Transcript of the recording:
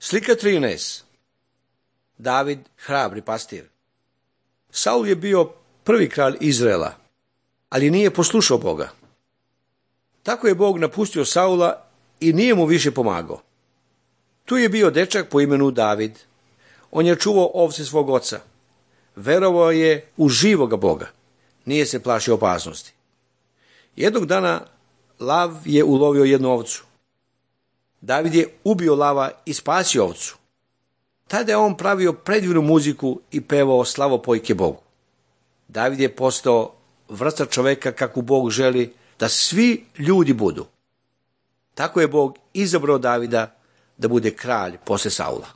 Slika 13. David, hrabri pastir. Saul je bio prvi kralj Izraela, ali nije poslušao Boga. Tako je Bog napustio Saula i nije mu više pomagao. Tu je bio dečak po imenu David. On je čuvao ovce svog oca. Verovao je u živoga Boga. Nije se plašio opasnosti. Jednog dana lav je ulovio jednu ovcu. David je ubio lava i spasio ovcu. Tada je on pravio predivnu muziku i pevao slavopojke Bogu. David je postao vrsta čoveka kakvu Bog želi da svi ljudi budu. Tako je Bog izabrao Davida da bude kralj posle Saula.